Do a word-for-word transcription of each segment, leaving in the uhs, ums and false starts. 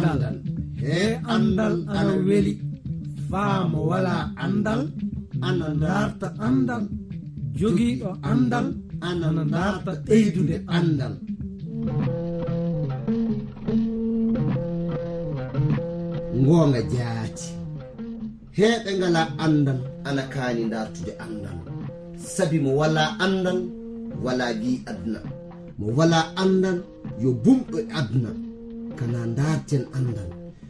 Andal. He andal ana weli. Faa mo walaa andal, ana ndaarta andal. Jogiiɗo andal, ana ndaarta ɓeydude andal. Ngoonga jaati. Heɓe ngala andal, ana kaani ndaartude andal. Sabi mo walaa andal, walaa gi aduna. Mo walaa andal, yo bumɗo e aduna. Kana ndaarten andal.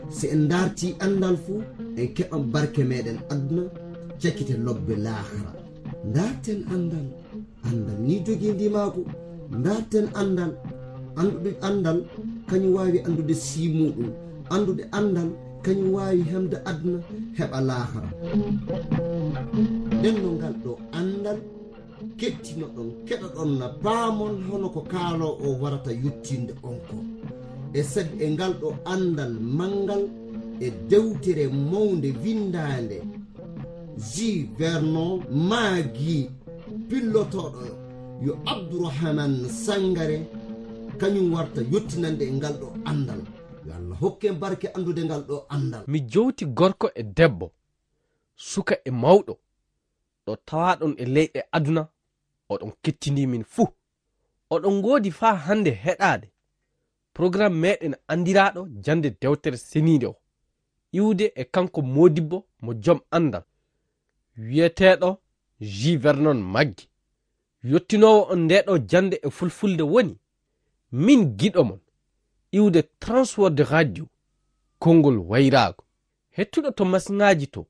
Si en ndaartii anndal fu, en keɓan barke meeɗen aduna, cakite lobbe laahara. Ndaarten anndal. Anndal ni jogii ndimaagu. Ndaarten anndal. Anndude anndal, kañum waawi anndude sii muuɗum. Anndude anndal, kañum waawi hemde aduna, heɓa laahara. Nden no ngal ɗo anndal kettinoɗon, keɗoɗon na paamon hono ko kaaloo o warata yottinde on ko. E sabi e ngal ɗo anndal manngal e dewtere mawnde winndaande, Jules Vernon maagi pillotooɗo yo Abdourahmane Sangaré, kañum warta yottinande e ngal ɗo anndal. Yo Allah hokken barke anndude ngal ɗo anndal. Mi jowti gorko e debbo, suka e mawɗo, ɗo tawaaɗon e leyɗe aduna, oɗon kettindii min fuu. Oɗon ngoodi faa hannde heɗaade programme meeɗen anndiraaɗo jannde dewtere seniinde o, iwde e kanko moodibbo mo jom anndal, wiyeteeɗo Jules Vernon Maggi. Yottinoowo on ndee ɗo jannde e fulfulde woni, min giɗo mon, iwde Transworld Radio, konngol wayraago. Hettuɗo to masiŋaaji to,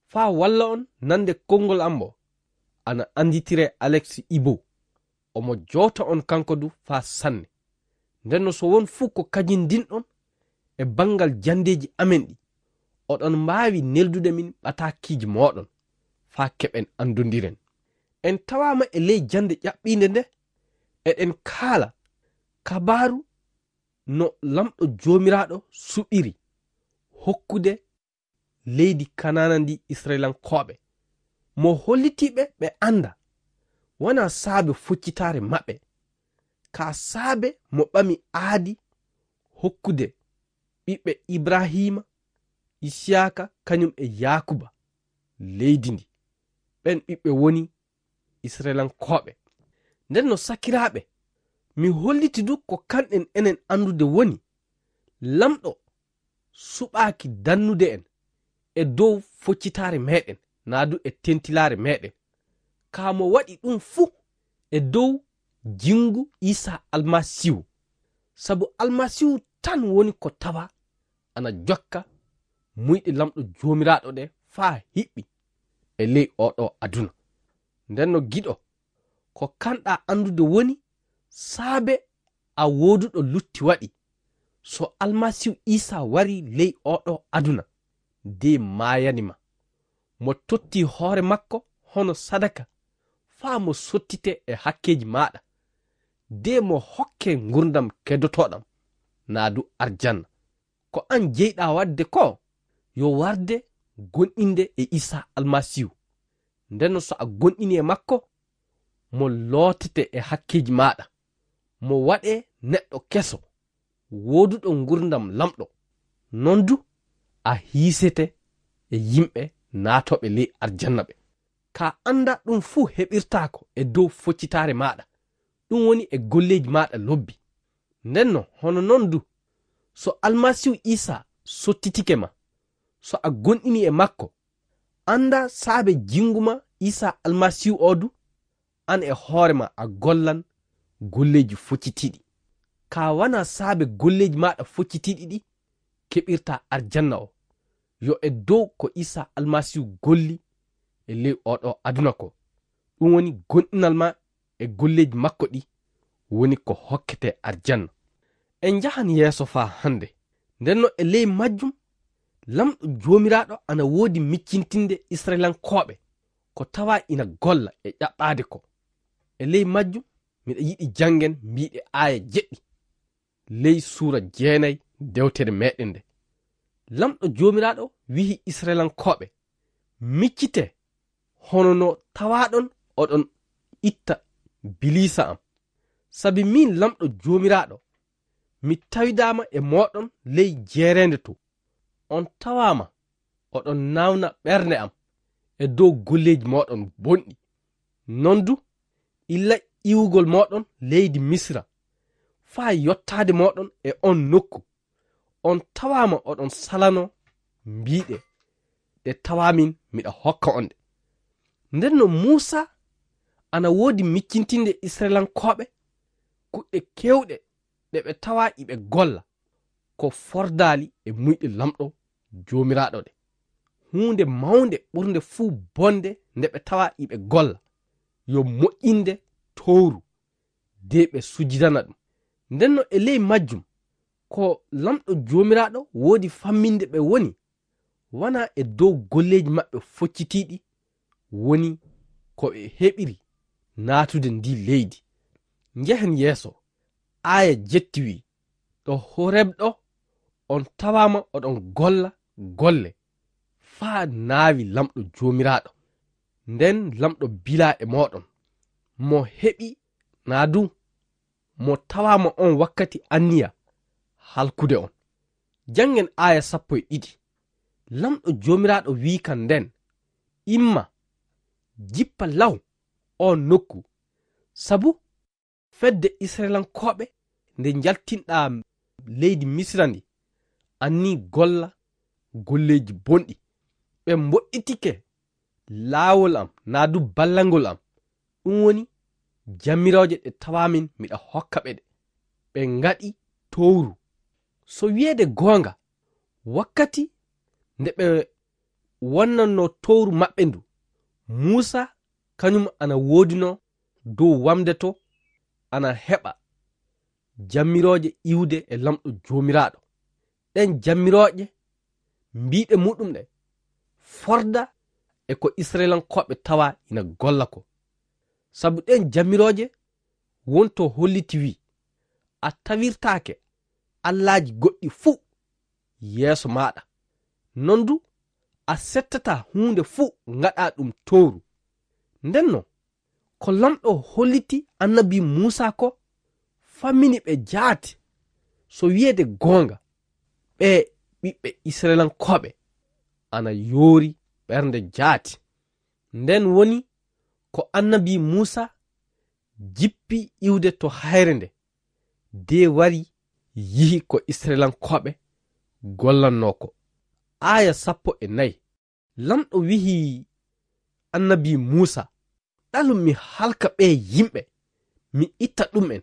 faa walla on nande konngol am o, ana annditiree Alex Ibo. Omo jowta on kanko du faa sanne. Nden no so won fuu ko kajindinɗon e banngal janndeeji amen ɗi, oɗon mbaawi neldude min ɓataakiiji mooɗon faa keɓen anndondiren. En tawaama e ley jannde ƴaɓɓiinde nde, eɗen kaala kabaaru no Laamɗo Joomiraaɗo suɓiri hokkude leydi Kanaana ndi Isra'ilankooɓe. Mo hollitii ɓe ɓe annda, wanaa saabe foccitaare maɓɓe, kaa saabe mo ɓami aadi hokkude ɓiɓɓe Ibrahiima, Isiyaaka, kañum e Yaakuba leydi ndi. Ɓen ɓiɓɓe woni Isra'ilankooɓe. Nden no sakiraaɓe, mi holliti du ko kanɗen enen anndude woni, Laamɗo suɓaaki dannude en e dow foccitaare meeɗen, naa du e tentilaare meeɗen. Kaa mo waɗi ɗum fuu e dow jinngu Iisaa Almasiihu. Sabu Almasiihu tan woni ko tawa ana jokka muyɗe Laamɗo Joomiraaɗo ɗe faa hiɓɓi e ley oo ɗoo aduna. Nden no giɗo, ko kanɗaa anndude woni saabe a wooduɗo lutti waɗi. So Almasiihu Iisaa warii ley oo ɗoo aduna, de maayani ma. Mo totti hoore makko hono sadaka faa mo sottite e hakkeeji maaɗa, de mo hokke ngurndan kedotooɗan, naa du arjanna. Ko an jeyɗaa waɗde ko yo warde gonɗinde e Iisaa Almasiihu. Nden no so a gonɗini e makko, mo lootete e hakkeeji maaɗa, mo waɗe neɗɗo keso, wooduɗo ngurndan Laamɗo. Non du a hiisete e yimɓe naatooɓe ley arjanna ɓe. Kaa annda ɗum fuu heɓirtaako e dow foccitaare maaɗa, ɗum woni e golleeji maaɗa lobbi. Nden no hono non du, so Almasiihu Iisaa sottitike ma, so a gonɗini e makko, annda saabe jinngu ma Iisaa Almasiihu oo du, an e hoore ma a gollan golleeji foccitiiɗi. Kaa wanaa saabe golleeji maaɗa foccitiiɗi ɗi keɓirtaa arjanna o. Yo e dow ko Iisaa Almasiihu golli e ley oo ɗoo aduna ko. Ɗum woni gonɗinal ma e golleeji makko ɗi woni ko hokkete arjanna. En njahan yeeso faa hannde. Nden no e ley majjum, Laamɗo Joomiraaɗo ana woodi miccintinde Isra'ilankooɓe ko tawaa ina golla e ƴaɓɓaade ko. E ley majjum, miɗa yiɗi janngen mbiiɗe aaya jeɗɗi ley suura jeenay dewtere meeɗen nde. Laamɗo Joomiraaɗo wi'i Isra'ilankooɓe, "Miccitee, hono no tawaaɗon oɗon itta biliisa am." Sabi min Laamɗo Joomiraaɗo, mi tawidaama e mooɗon ley jeereende to. On tawaama oɗon naawna ɓernde am e dow golleeji mooɗon bonɗi. Non du, illa iwugol mooɗon leydi Misira, faa yottaade mooɗon e on nokku, on tawaama oɗon salanoo mbiiɗe, ɗe tawaa min miɗa hokka on ɗe. Nden no Muusaa ana woodi miccintinde Isra'ilankooɓe kuɗɗe keewɗe ɗe ɓe tawaa iɓe golla, ko fordaali e muyɗe Laamɗo Joomiraaɗo ɗe. Huunde mawnde ɓurnde fuu bonde nde ɓe tawaa iɓe golla, yo moƴƴinde towru, de ɓe sujidana ɗum. Nden no e ley majjum, ko Laamɗo Joomiraaɗo woodi famminde ɓe woni, wanaa e dow golleeji maɓɓe foccitiiɗi woni ko ɓe heɓiri naatude ndi leydi. Njehen yeeso, aaya jetti wi'i, ɗo Horeb ɗo on tawaama oɗon golla golle faa naawi Laamɗo Joomiraaɗo. Nden Laamɗo bilaa e mooɗon, mo heɓi naa du mo tawaama on wakkati anniya halkude on. Janngen aaya sappo e ɗiɗi. Laamɗo Joomiraaɗo wi'i kan nden, "Imma, jippa law oo nokku, sabu fedde Isra'ilankooɓe nde njaltinɗaa leydi Misira ndi, annii golla golleeji bonɗi. Ɓe mboɗɗitike laawol am, naa du ballangol am. Ɗum woni jamirooje ɗe tawaamin miɗa hokka ɓe ɗe. Ɓe ngaɗi towru. So wi'eede goonga, wakkati nde ɓe wonnannoo towru maɓɓe ndu, Muusaa kañum ana woodinoo dow wamnde to, ana heɓa jamirooje iwde e Laamɗo Joomiraaɗo. Ɗen jamirooje, mbiiɗe muɗum ɗe, forda e ko Isra'ilankooɓe tawa ina golla ko. Sabu ɗen jamirooje wonto holliti wi'i, a tawirtaake allaaji goɗɗi fuu yeeso maaɗa. Non du, a settataa huunde fuu ngaɗaa ɗum towru." Nden non, ko Laamɗo holliti annabi Muusaa ko, fammini ɓe jaati. So wi'eede goonga, ɓee ɓiɓɓe Isra'ilankooɓe ana yoori ɓernde jaati. Nden woni ko annabi Muusaa jippi iwde to hayre nde, de wari yihi ko Isra'ilankooɓe gollannoo ko. Aaya sappo e nayi. Laamɗo wi'i annabi Muusaa, "Ɗalu mi halka ɓee yimɓe, mi itta ɗum'en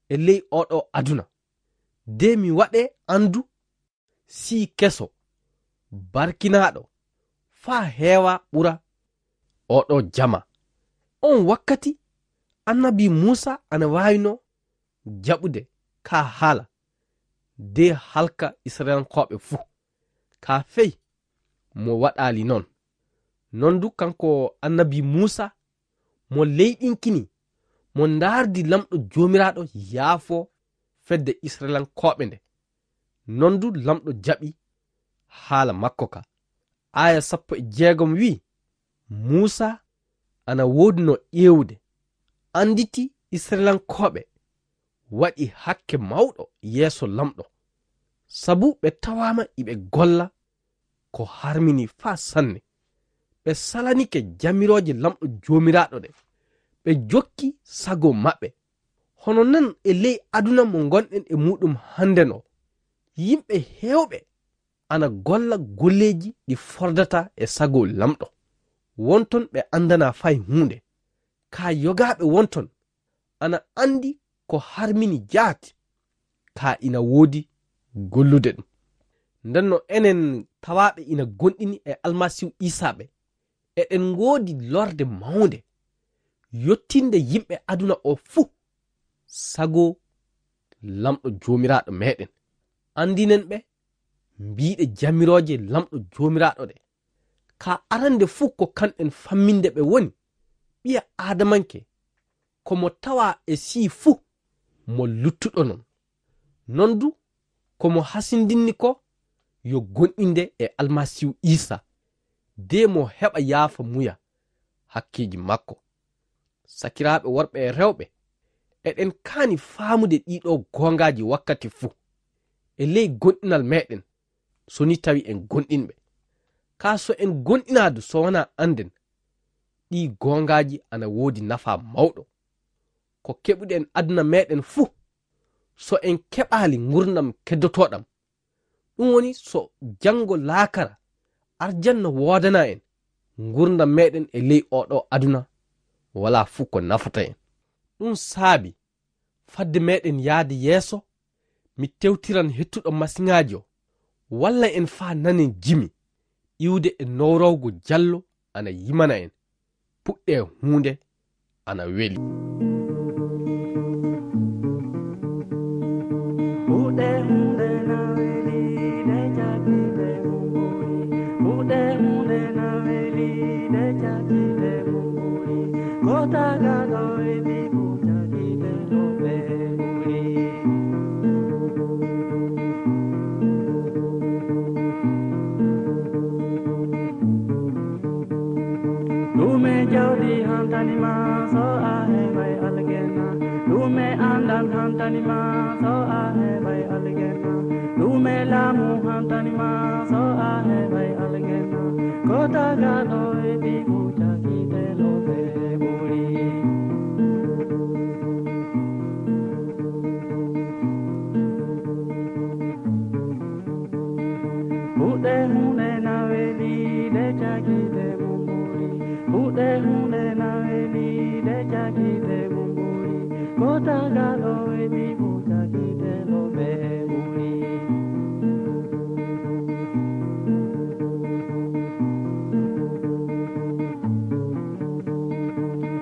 e ley oo ɗoo aduna, de mi waɗe anndu sii keso, barkinaaɗo, faa heewa ɓura oo ɗoo jama." On wakkati, annabi Muusaa ana waawinoo jaɓude kaa haala, de halka Isra'ilankooɓe fuu. Kaa fey mo waɗaali non. Non du kanko annabi Muusaa, mo leyɗinkini, mo ndaardi Laamɗo Joomiraaɗo yaafo fedde Isra'ilankooɓe nde. Non du Laamɗo jaɓi haala makko ka. Aaya sappo e jeegom wi'i, Muusaa ana woodunoo ƴeewude, annditi Isra'ilankooɓe waɗi hakke mawɗo yeeso Laamɗo, sabu ɓe tawaama iɓe golla ko harmini faa sanne. Ɓe salanike jamirooje Laamɗo Joomiraaɗo ɗe, ɓe jokki sago maɓɓe. Hono non e ley aduna mo ngonɗen e muuɗum hannden o, yimɓe heewɓe ana golla golleeji ɗi fordataa e sago Laamɗo. Wonton ɓe anndanaa fay huunde. Kaa yogaaɓe wonton ana anndi ko harmini jaati, kaa ina woodi gollude ɗum. Nden no enen tawaaɓe ina gonɗini e Almasiihu Iisaa ɓe, eɗen ngoodi lorde mawnde, yottinde yimɓe aduna o fuu, sago Laamɗo Joomiraaɗo meɗen. Anndinen ɓe, mbiiɗe jamirooje Laamɗo Joomiraaɗo ɗe. Ka arande fuu ko kanɗen famminde ɓe woni, ɓiya Aadamanke, ko mo tawaa e sii fuu, mo luttuɗo non. Non du, ko mo hasindinni ko yo gonɗinde e Almasiihu Iisaa, de mo heɓa yaafa muya hakkeeji makko. Sakiraaɓe worɓe e rewɓe, Eɗen kaani faamude ɗiɗo goongaaji wakkati fuu e ley gonɗinal meɗen, so ni tawi en gonɗinɓe. Kaa so en gonɗinaadu so wanaa annden, ɗii goongaaji ana woodi nafaa mawɗo. Ko keɓuɗen aduna meɗen fuu, so en keɓaali ngurndan keddotoɗan, ɗum woni so janngo laakara arjanna woodana en, ngurndan meɗen e ley oɗo aduna walaa fuu ko nafata en. Ɗum saabi, fadde meɗen yaade yeeso, mi tewtiran hettuɗo masiŋaaji o, walla en faa nanen jimi, iwde e nowrawgo jallo ana yimana en. Puɗɗe huunde ana weli. Puɗɗe huunde na weli, de jaggi de mumburi. Puɗɗe huunde na weli, de jaggi de mumburi. Ko tagaɗo e bibu jaggi de no ɓe ɓuri. Ɗume jawdi hantani ma so a heɓay aljanna? Ɗume anndal hantani ma so a heɓay aljanna? Ɗume laamu hantani ma so a heɓay aljanna? Ko tagaɗo e bibu jaggi de no ɓe ɓuri. Puɗɗe huunde na weli, de jaggi de mumburi. Puɗɗe huunde na weli, de jaggi de mumburi. Ko tagaɗo e bibu jaggi de no ɓe ɓuri.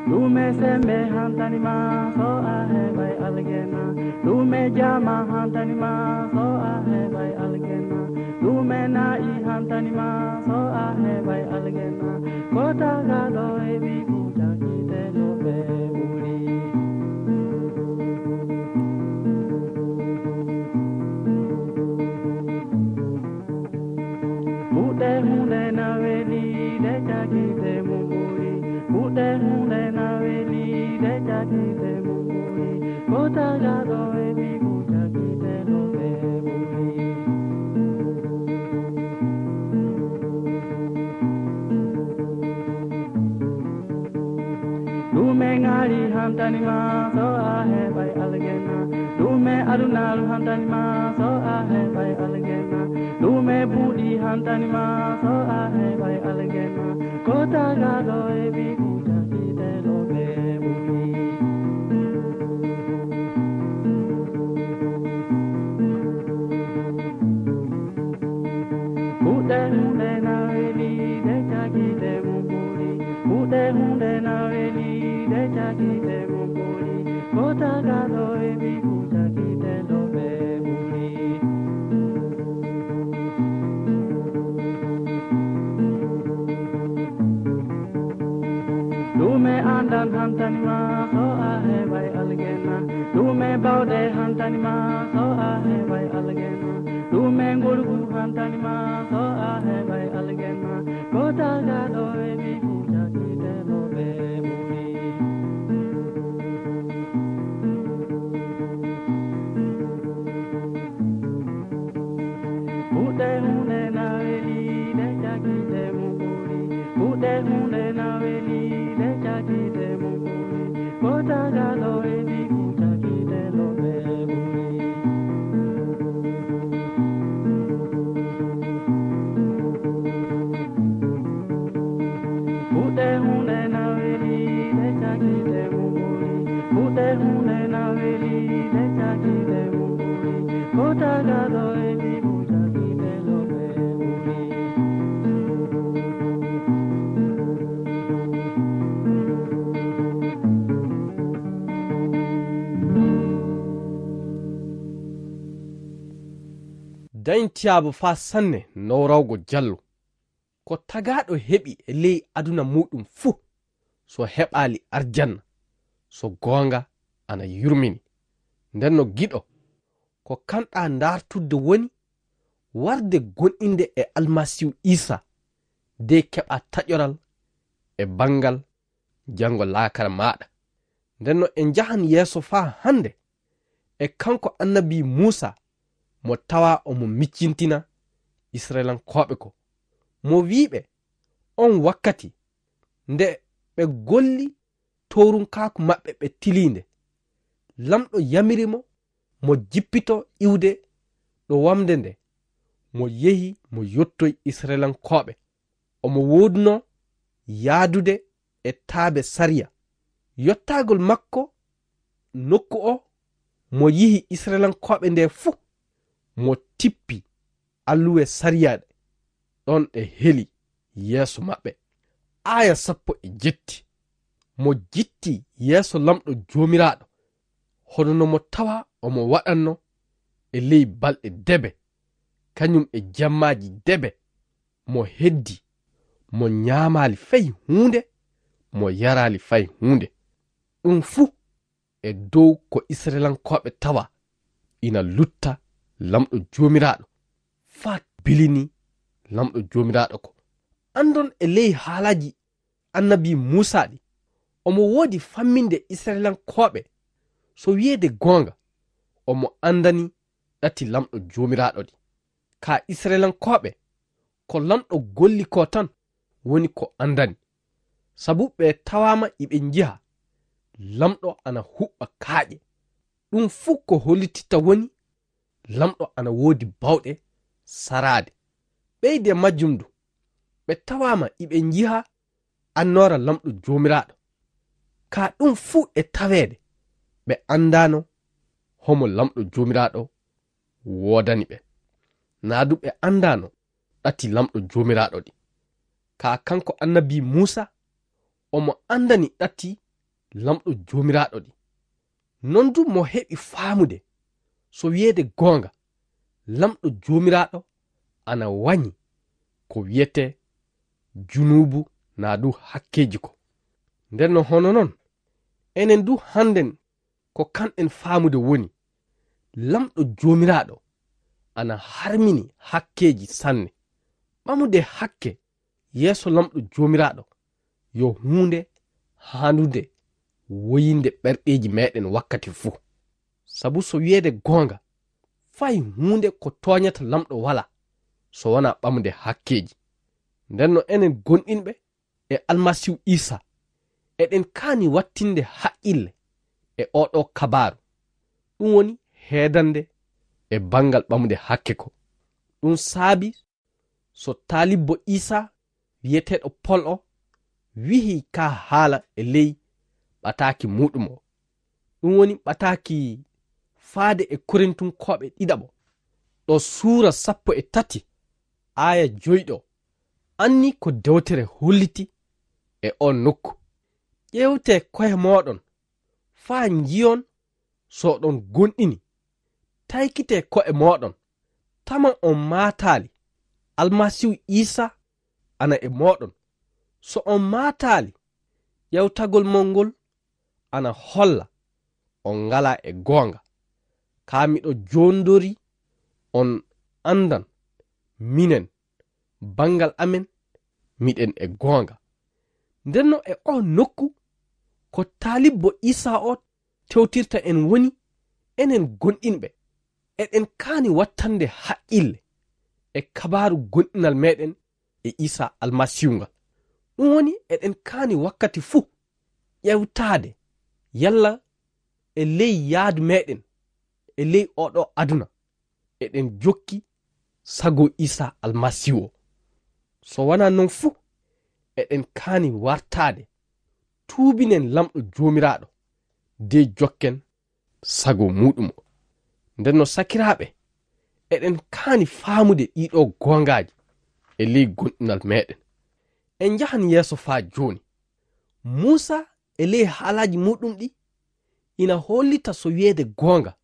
Ɗume sembe hantani ma so a heɓay aljanna? Ɗume jama hantani ma so a heɓay aljanna? Ɗume na'i hantani ma so a heɓay aljanna? Ko tagaɗo e bibu jaggi de no ɓe ɓuri. Puɗɗe huunde na weli, de jaggi de mumburi. Puɗɗe huunde na weli, de jaggi de mumburi. Ko tagaɗo e bibu jaggi de no ɓe ɓuri. Ɗume ŋaari hantani ma so a heɓay aljanna? Ɗume adunaaru hantani ma so a heɓay aljanna? Ɗume buuɗi hantani ma so a heɓay aljanna? Ko tagaɗo e bibu jaggi de no ɓe ɓuri. Puɗɗe huunde na weli, de jaggi de mumburi. Puɗɗe huunde na weli, de jaggi de mumburi. Ko tagaɗo e bibu jaggi de no ɓe ɓuri. Ɗume anndal hantani ma so a heɓay aljanna? Ɗume bawɗe hantani ma so a heɓay aljanna? Ɗume ngorgu hantani ma so a heɓay aljanna? Ko tagaɗo e bibu jaggi de no ɓe ɓuri. Puɗɗe huunde na weli, de jaggi de mumburi. Puɗɗe huunde na weli, de jaggi de mumburi. Ko tagaɗo e bibu jaggi de no ɓe ɓuri. Puɗɗe huunde na weli, de jaggi de mumburi. Puɗɗe huunde na weli, de jaggi de mumburi. Ko tagaɗo e bibu jaggi de no ɓe ɓuri. Dañtiyaaba faa sanne nowrawgo jallo. Ko tagaaɗo heɓi e ley aduna muuɗum fuu, so heɓaali arjanna, so goonga ana yurmini. Nden no giɗo, ko kanɗaa ndaartudde woni warde gonɗinde e Almasiihu Iisaa, de keɓaa taƴoral e banngal janngo laakara maaɗa. Nden no en njahan yeeso faa hannde e kanko annabi Muusa mo tawa omo miccintina Isra'ilankooɓe ko. Mo wi'i ɓe, on wakkati nde ɓe golli towrunkaaku maɓɓe ɓe tiliinde, Lamɗo yamiri mo, mo jippito iwde ɗo wamnde nde, mo yehi mo yottoy Isra'ilankooɓe. Omo woodunoo yaadude e taabe sariya. Yottaagol makko nokku o, mo yihi Isra'ilankooɓe nde fuu, mo tippi alluwe sariya ɗe, ɗon ɗe heli yeeso maɓɓe. Aaya sappo e jetti. Mo jitti yeeso Lamɗo Joomiraaɗo, hono no mo tawa omo waɗanno e ley balɗe debe, kañum e jemmaaji debe, mo heddi, mo ñaamaali fay huunde, mo yaraali fay huunde. Ɗum fuu e dow ko Isra'ilankooɓe tawa ina lutta Lamɗo Joomiraaɗo, faa bilini Lamɗo Joomiraaɗo ko. Anndon e ley haalaaji annabi Muusa ɗi, omo woodi famminde Isra'ilankooɓe, so wi'eede goonga, omo anndani ɗati Lamɗo Joomiraaɗo ɗi. Ka Isra'ilankooɓe, ko Lamɗo golli ko tan woni ko anndani. Sabu ɓe tawaama iɓe njiha Lamɗo ana huɓɓa kaaƴe. Ɗum fuu ko hollititta woni Lamɗo ana woodi bawɗe saraade. Ɓeyde majjum du, ɓe tawaama iɓe njiha annoora Lamɗo Joomiraaɗo. Ka ɗum fuu e taweede, ɓe anndaano homo Lamɗo Joomiraaɗo woodani ɓe. Naa du ɓe anndaano ɗati Lamɗo Joomiraaɗo ɗi. Ka kanko annabi Muusa, omo anndani ɗati Lamɗo Joomiraaɗo ɗi. Non du mo heɓi faamude, so wi'eede goonga, Lamɗo Joomiraaɗo ana wañi ko wi'etee junuubu naa du hakkeeji ko. Nden no hono non, enen du hannden ko kanɗen faamude woni, Lamɗo Joomiraaɗo ana harmini hakkeeji sanne. Ɓamude hakke yeeso Lamɗo Joomiraaɗo yo huunde haanunde woyinde ɓerɗeeji meeɗen wakkati fuu. Sabu so wi'eede goonga, fay huunde ko tooñata Lamɗo walaa, so wanaa ɓamude hakkeeji. Nden no enen gonɗinɓe e Almasiihu Iisaa, eɗen kaani wattinde haqqille e oo ɗoo kabaaru. Ɗum woni heedande e banngal ɓamude hakke ko. Ɗum saabi so taalibbo Iisaa wi'eteeɗo Pol o wihi ka haala e ley ɓataaki muuɗum o. Ɗum woni ɓataaki faade e Korintunkooɓe ɗiɗaɓo, ɗo suura sappo e tati, aaya joy ɗo, anni ko dewtere holliti e on nokku. Ƴeewtee ko'e mooɗon, faa njiyon so oɗon gonɗini. Taykitee ko'e mooɗon, tama on maataali, Almasiihu Iisaa ana e mooɗon. So on maataali, ƴeewtagol mon ngol ana holla on ngalaa e goonga. Kaa miɗo joondori on anndan minen, banngal amen, miɗen e goonga. Ndenno e oo nokku ko taalibbo Iisaa o tewtirta en woni enen gonɗinɓe. Eɗen kaani wattande haqqille e kabaaru gonɗinal meɗen e Iisaa Almasiihu ngal. Ɗum woni eɗen kaani wakkati fuu ƴeewtaade yalla e ley yaadu meɗen e ley oo ɗoo aduna eɗen jokki sago Iisaa Almasiihu o. So wanaa non fuu, eɗen kaani wartaade, tuubinen Lamɗo Joomiraaɗo, de jokken sago muuɗum o. Nden no sakiraaɓe, eɗen kaani faamude ɗii ɗoo goongaaji e ley gonɗinal meɗen. En njahan yeeso faa jooni. Muusaa e ley haalaaji muuɗum ɗi ina hollita so wi'eede goonga,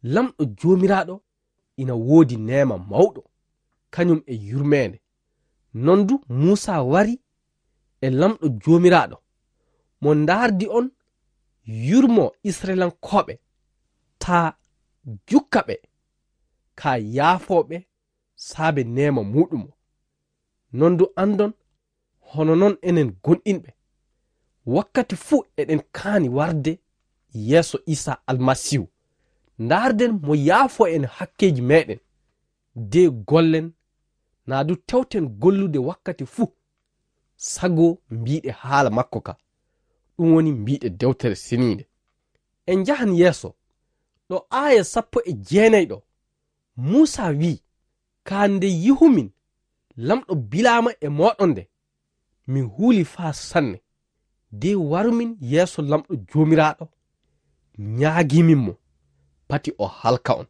Lamɗo Joomiraaɗo ina woodi neema mawɗo, kañum e yurmeende. Non du Muusaa wari e Lamɗo Joomiraaɗo, mo ndaardi on yurmoo Isra'ilankooɓe, taa jukka ɓe, kaa yaafoo ɓe saabe neema muuɗum o. Non du anndon, hono non enen gonɗinɓe, Wakkati fuu eɗen kaani warde yeeso Iisaa Almasiihu. Ndaarden mo yaafoo en hakkeeji meeɗen, de gollen naa du tewten gollude wakkati fuu, sago mbiiɗe haala makko ka, ɗum woni mbiiɗe Dewtere Seniinde. En njahan yeeso, ɗo aaya sappo e jeenayɗo, Muusaa wi'i, "Kaa nde yihumin Lamɗo bilaama e mooɗon nde, mi huuli faa sanne, de warumin yeeso Lamɗo Joomiraaɗo, ñaagimin mo, pati o halka on."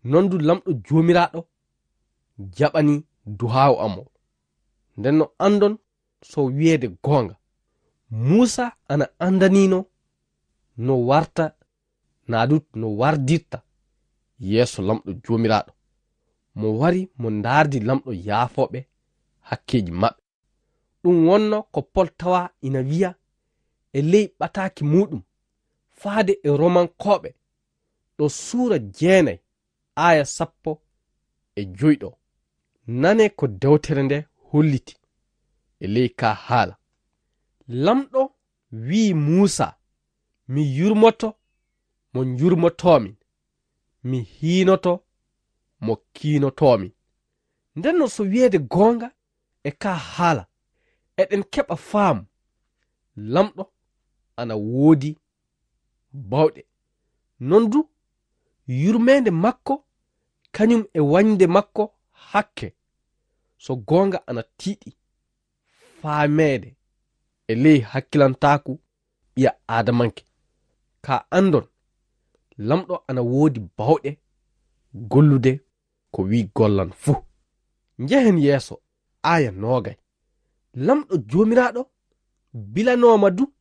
Non du Lamɗo Joomiraaɗo jaɓani du'aawu am o. Nden no anndon so wi'eede goonga, Muusaa ana anndaniino no warta, naa du no wardirta yeeso Lamɗo Joomiraaɗo. Mo wari mo ndaardi Lamɗo yaafooɓe hakkeeji maɓɓe. Ɗum wonno ko Pol tawa ina wi'a e ley ɓataaki muuɗum faade e Romankooɓe, ɗo suura jeenay, aaya sappo e joy ɗo. Nane ko dewtere nde holliti e ley ka haala. Lamɗo wi'i Muusaa, "Mi yurmoto mo njurmotoomin, mi hiinoto mo kiinotoomin." Nden no so wi'eede goonga e ka haala, eɗen keɓa faamu. Lamɗo ana woodi bawɗe. Non du, yurmeende makko, kañum e wañde makko hakke, so goonga ana tiiɗi faameede e ley hakkilantaaku ɓiya Aadamanke. Ka anndon, Lamɗo ana woodi bawɗe gollude ko wi'i gollan fuu. Njehen yeeso, aaya noogay. Lamɗo Joomiraaɗo bilanooma du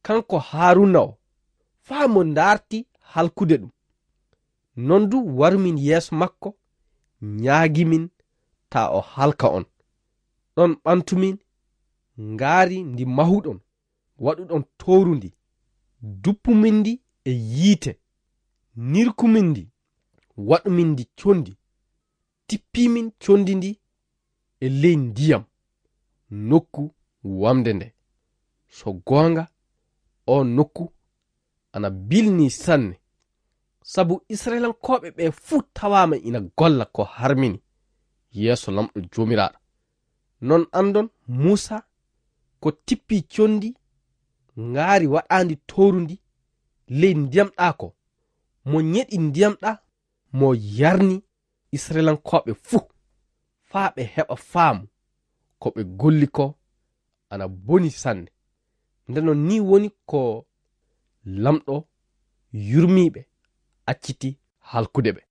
kanko Haaruuna o, faa mo ndaarti halkude ɗum. Non du warumin yeeso makko, ñaagimin taa o halka on. Ɗon ɓantumin ngaari ndi mahuɗon, waɗuɗon towru ndi, duppumin ndi e yiite, nirkumin ndi, waɗumin ndi condi, tippimin condi ndi e ley ndiyam nokku wamnde nde. So goonga, oo nokku ana bilnii sanne, sabu Isra'ilankooɓe ɓe fuu tawaama ina golla ko harmini yeeso Lamɗo Joomiraaɗo. Non anndon Muusaa ko tippi condi ngaari waɗaandi towru ndi ley ndiyam ɗaa ko, mo ñeɗi ndiyam ɗaa, mo yarni Isra'ilankooɓe fuu, faa ɓe heɓa faamu ko ɓe golli ko ana boni sanne. Nde non nii woni ko Lamɗo yurmiiɓe acciti halkude ɓe.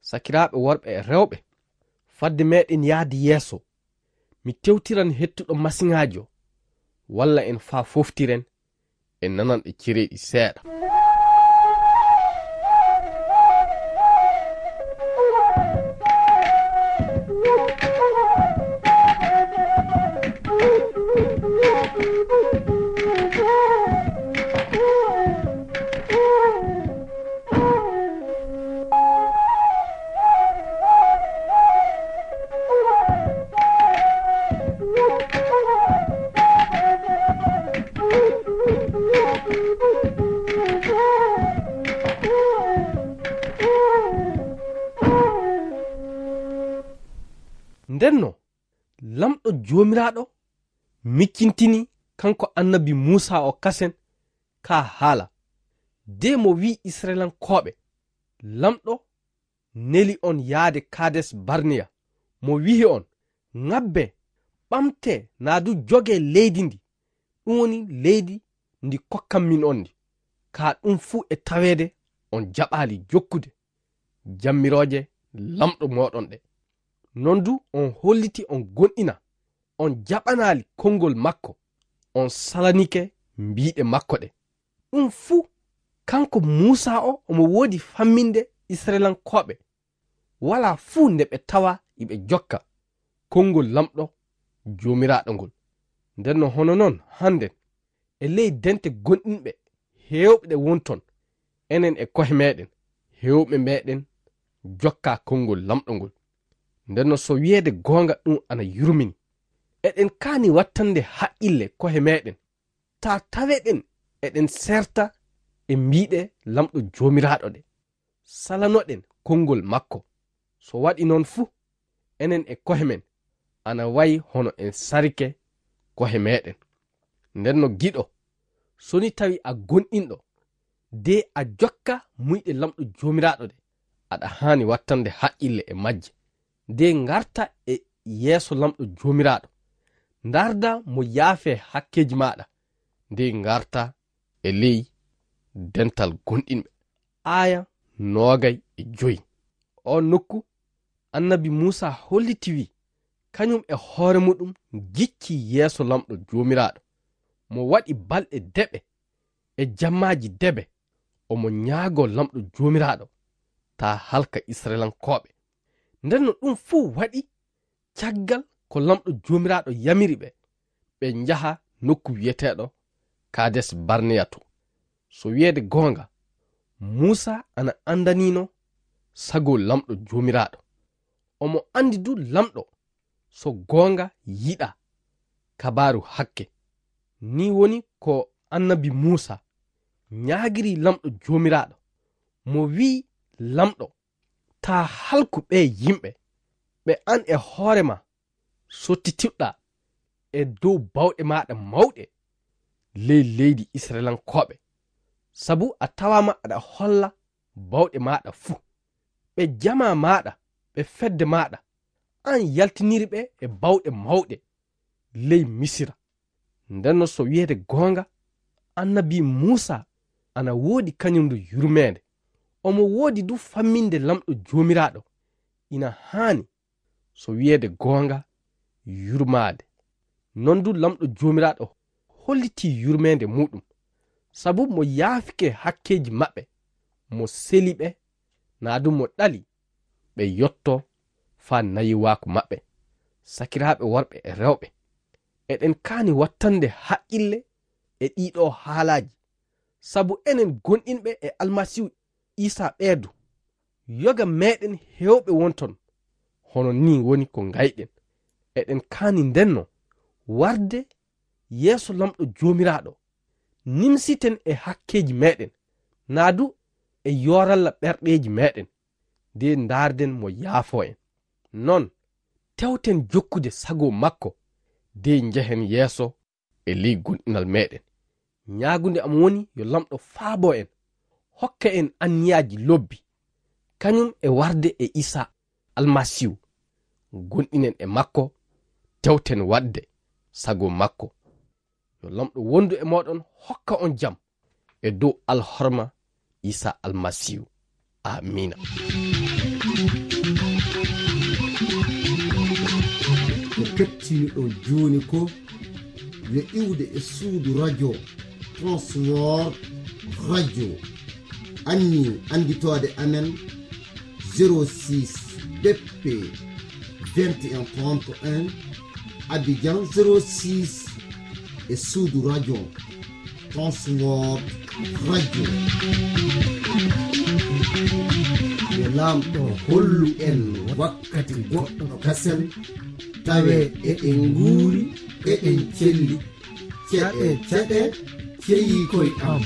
Sakiraaɓe worɓe e rewɓe, fadde meɗen yahde yeeso, mi tewtiran hettuɗo masiŋaajo, walla en faa foftiren e nananɗe cereeɗi seeɗa. Ndenno, Lamɗo Joomiraaɗo miccintini kanko annabi Muusaa o kasen ka haala, de mo wi'i Isra'ilankooɓe, Lamɗo neli on yaade Kaades Barneya, mo wi'i on, "Ŋabbe, ɓamte naa du joge leydi ndi, ɗum woni leydi ndi kokkanmin on ndi. Ka ɗum fuu e taweede on jaɓaali jokkude jammirooje Lamɗo mooɗon ɗe. Non du on holliti on gonɗina, on jaɓanaali konngol makko, on salanike mbiiɗe makko ɗe." Ɗum fuu, kanko Muusaa o, omo woodi famminde Isra'ilankooɓe, walaa fuu nde ɓe tawa iɓe jokka konngol Lamɗo Joomiraaɗo ngol. Ndenno hono non hannden, e ley dente gonɗinɓe heewɓe ɗe wonton, enen e ko'e meɗen, heewɓe meɗen jokka konngol Lamɗo ngol. Ndenno so wi'eede goonga ɗum ana yurmini, eɗen kaani wattande haqqille ko'e meɗen, taa taweɗen eɗen serta e mbiiɗe Laamɗo Joomiraaɗo ɗe, salanoɗen konngol makko. So waɗi noon fu, enen e kohe men, ana wayi hono en sarike kohe meɗen. Nden no giɗo, so ni tawi a gonɗinɗo, de a jokka muyɗe Laamɗo Joomiraaɗo ɗe, aɗa haani wattande haqqille e majje. De ngarta e yeeso Laamɗo Joomiraaɗo, ndaarda mo yaafee hakkeeji maaɗa, de ngarta e ley dental gonɗinɓe. Aaya noogay e joy. O nokku, annabi Muusa holliti wi, kañum e hoore muɗum gicci yeeso Laamɗo Joomiraaɗo. Mo waɗi balɗe deɓe e jammaaji deɓe, omo ñaagoo Laamɗo Joomiraaɗo, taa halka Isra'ilankooɓe. Nden no ɗum fuu waɗi caggal ko Laamɗo Joomiraaɗo yamiri ɓe, ɓe njaha nokku wi'eteeɗo Kaades Barneya to. So wi'eede goonga, Muusa ana anndaniino sago Laamɗo Joomiraaɗo. Omo anndi du Laamɗo so goonga yiɗaa kabaaru hakke. Nii woni ko annabi Muusa ñaagiri Laamɗo Joomiraaɗo. Mo wi'i Laamɗo, taa halku ɓee yimɓe, ɓe aan e hoore maa sottitiɗaa e dow baawɗe maaɗa mawɗe ley leydi Isra'ilankooɓe, sabu a tawaama aɗa holla baawɗe maaɗa fuu. Ɓe jamaa maaɗa, ɓe fedde maaɗa, aan yaltiniri ɓe e baawɗe mawɗe ley Misira. Ndenno so wi'eede goonga, annabi Muusa ana woodi kañum du yurmeende. Omo woodi du famminde Laamɗo Joomiraaɗo. Ina haani, so wi'eede goonga, yurmaade. Non du Laamɗo Joomiraaɗo hollitii yurmeende muuɗum, sabu mo yaafike hakkeeji maɓɓe, mo seli ɓe, naa du mo ɗali ɓe yotto faa nayiwaaku maɓɓe. Sakiraaɓe worɓe e rewɓe, eɗen kaani wattande haqqille e ɗiiɗoo haalaaji, sabu enen gonɗinɓe e Almasiihu Iisaa ɓee du, yoga meɗen heewɓe wonton, hono nii woni ko ngayɗen. Eɗen kaani ndenno warde yeeso Laamɗo Joomiraaɗo, nimsiten e hakkeeji meɗen, naa du e yooralla ɓerɗeeji meɗen, de ndaarden mo yaafoo en. Non, tewten jokkude sago makko, de njehen yeeso e ley gonɗinal meɗen. Ñaagunde am woni yo Laamɗo faabo en, hokka en anniyaaji lobbi, kañum e warde e Iisaa Almasiihu. Gonɗinen e makko, tewten waɗde sago makko. Yo Laamɗo wondu e mooɗon, hokka on jam e dow alhorma Iisaa Almasiihu. Amiina. Ko kettiniɗon jooni ko yo iwde e suudu radio Transworld Radio. Anni annditoode amen zéro six B P vingt et un trente et un, Abidjan zéro six e suudu radio Transworld Radio. Yo Laamɗo hollu en wakkati goɗɗo kasen, tawe eɗen nguuri, eɗen celli. Ceɗe, ceɗe, ceyi koy am.